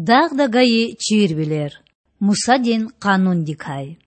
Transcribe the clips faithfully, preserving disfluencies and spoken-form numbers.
Дагъда гайи чирвилер. Мусадин къанундикай.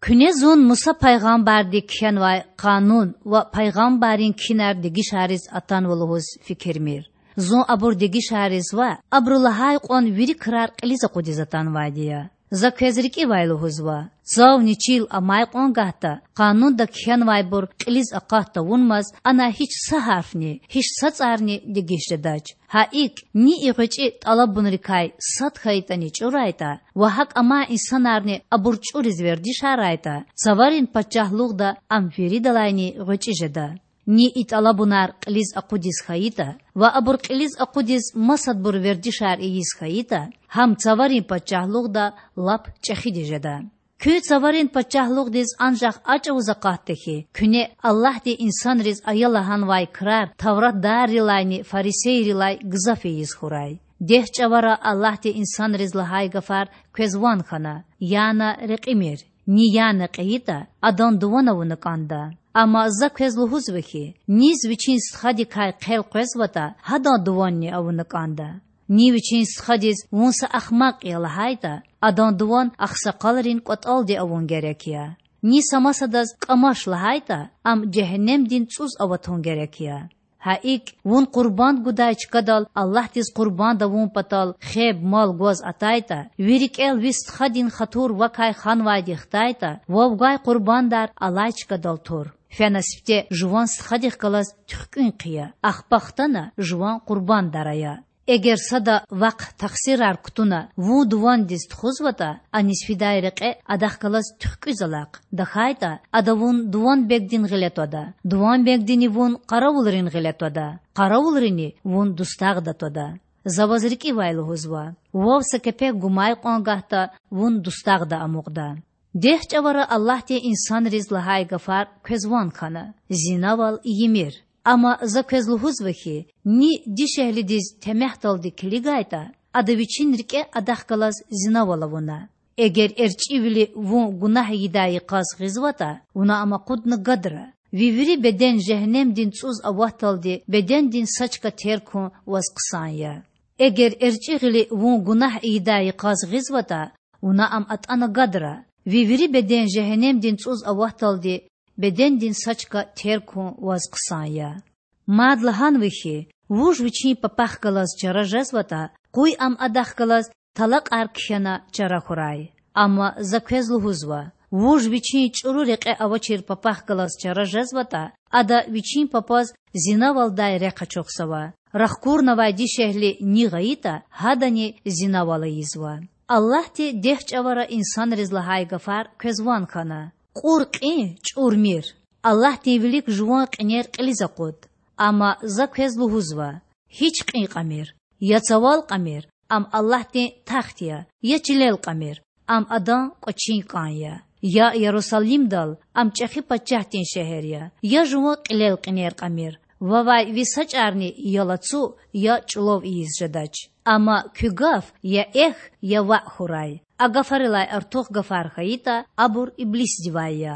Куьне зун Муса пайгъамбарди кхьенвай къанун ва пайгъамбаррин кхьинар дегишариз атанва лугьуз фикирмир. Зун абур дегишариз ва абуру лагьай кьван вири крар кьилиз акъудиз атанвайди я. За квез рикӀивай лугьузва: цавни чил амай кьван гагьда къанунда кхьенвайбур кьилиз акъат тавунмаз ана гьич са гьарфни, гьич са цӀарни дегиш жедач. Гьа икӀ, ни и гъвечӀи тӀалабунрикай сад хьайитӀани чӀурайтӀа ва гьакӀ амай инсанарни абур чӀуриз вердишарайтӀа, цаварин пачагьлугъда ам виридалайни гъвечӀи жеда. Ни и тӀалабунар кьилиз акъудиз хьайитӀа ва абур кьилиз акъудиз масадбур вердишар ийиз хьайитӀа, гьам цаварин пачагьлугъда лап чӀехиди жеда. Куьн цаварин пачагьлугъдиз анжах а чӀавуз акъатда хьи, куьне Аллагьди инсанриз ая лагьанвай крар тавратдаррилайни фарисейрилай гзаф ийиз хьурай. Дегь чӀавара Аллагьди инсанриз лагьай гафар квез ван хьана: яна рекьимир. Ни яна кьейитӀа, адан дуван авуна кӀанда. Амма За квез лугьузва хьи, низ вичин стхадикай хъел къвезватӀа, гьадан дуванни авуна кӀанда. Ни вичин стхадиз: вун са ахмакь я, лагьайтӀа, адан дуван агъсакъалрин кӀватӀалди авун герек я. Ни са масадаз: кӀамаш, лагьайтӀа, ам жегьеннемдин цӀуз аватун герек я. Гьа икӀ, вун къурбанд гудай чкадал Аллагьдиз къурбанд авун патал хеб мал гваз атайтӀа, ви рикӀел ви стхадин хатур вакай ханвайди хтайтӀа, вав гвай къурбандар алай чкадал тур. Фена сифте жуван стхадихъ галаз туьхкӀуьн хъия, ахпа хтана жуван къурбандар ая. Эгер сада вахъ-тахсирар кутуна вун дувандиз тухузватӀа, аниз фидай рекье адахъ галаз туьхкӀуьз алахъ, тахьайтӀа ада вун дуванбегдин гъиле твада, дуванбегдини вун къаравулрин гъиле твада, къаравулрини вун дустагъда твада. За ваз рикӀивай лугьузва: вав са кепек гумай кьван гагьда, вун дустагъда амукьда. Дегь чӀавара Аллагьди инсанриз лагьай гафар квез ван хьана: зинавал ийимир. Амма За квез лугьузва хьи, ни дишегьлидиз темягьдалди килигайтӀа, ада вичин рикӀе адахъ галаз зинавал авуна. Эгер эрчӀивили вун гунагь ийидай йикъаз гъизватӀа, вуна ам акъудна гадра. Ви вири беден жегьеннемдин цӀуз аватдалди бедендин са чка терг хьун ваз хъсан я. Эгер эрчӀи гъили вун гунагь ийидай йикъаз гъизватӀа, вуна ам атӀана гадра. Ви вири беден жегьеннемдин цӀуз аватдалди бедендин са чка терг хьун ваз хъсан я. Мад лагьанва хьи, вуж вичин папахъ галаз чара жезватӀа, къуй ам адахъ галаз талакьар кхьена чара хьурай. Амма За квез лугьузва: вуж вичин чӀуру рекье авачир папахъ галаз чара жезватӀа, ада вичин папаз зинавалдай рехъ ачухзава. Рахкурнавай дишегьли ни гъайитӀа, гьадани зинавал ийизва. Аллагьди дегь чӀавара инсанриз лагьай гафар квез ван хьана: кьур кьин чӀурмир. Аллагьдин вилик жуван кьинер кьилиз акъуд. Амма За квез лугьузва: гьич кьин кьамир. Я цавал кьамир, ам Аллагьдин тахт я, я чилел кьамир, ам адан кӀвачин кӀан я. Я Ярусалимдал, ам чӀехи пачагьдин шегьер я, я жуван кьилел кьинер кьамир, вавай ви са чӀарни я лацу, я чӀулав ийиз жедач. Амма куь гаф я эхь, я ваъ хьурай. А гафарилай артух гафар хьайитӀа, абур иблисдивай я.